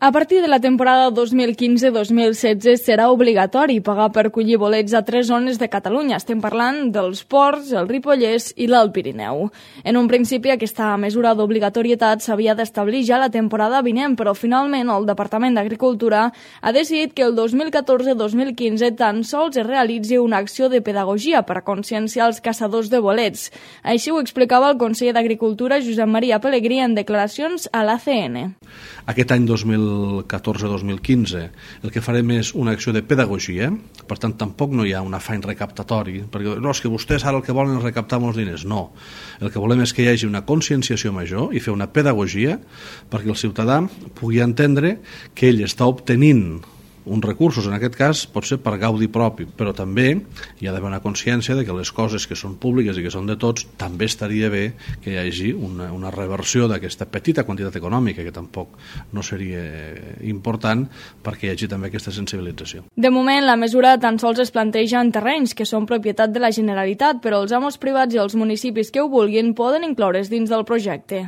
A partir de la temporada 2015-2016 serà obligatori pagar per collir bolets a 3 zones de Catalunya. Estem parlant dels Ports, el Ripollès i l'Alt Pirineu. En un principi aquesta mesura d'obligatorietat s'havia d'establir ja la temporada vinent, però finalment el Departament d'Agricultura ha decidit que el 2014-2015 tan sols es realitzi una acció de pedagogia per a conscienciar els caçadors de bolets. Així ho explicava el conseller d'Agricultura, Josep Maria Pelegrí, en declaracions a l'ACN. Aquest any 2014-2015 el que farem és una acció de pedagogia, per tant tampoc no hi ha un afany recaptatori, perquè no, és que vostès ara el que volen és recaptar molts diners, no. El que volem és que hi hagi una conscienciació major i fer una pedagogia perquè el ciutadà pugui entendre que ell està obtenint uns recursos, en aquest cas pot ser per gaudi propi, però també hi ha d'haver una consciència de que les coses que són públiques i que són de tots, també estaria bé que hi hagi una reversió d'aquesta petita quantitat econòmica, que tampoc no seria important, perquè hi hagi també aquesta sensibilització. De moment, la mesura tan sols es planteja en terrenys que són propietat de la Generalitat, però els amos privats i els municipis que ho vulguin poden incloure's dins del projecte.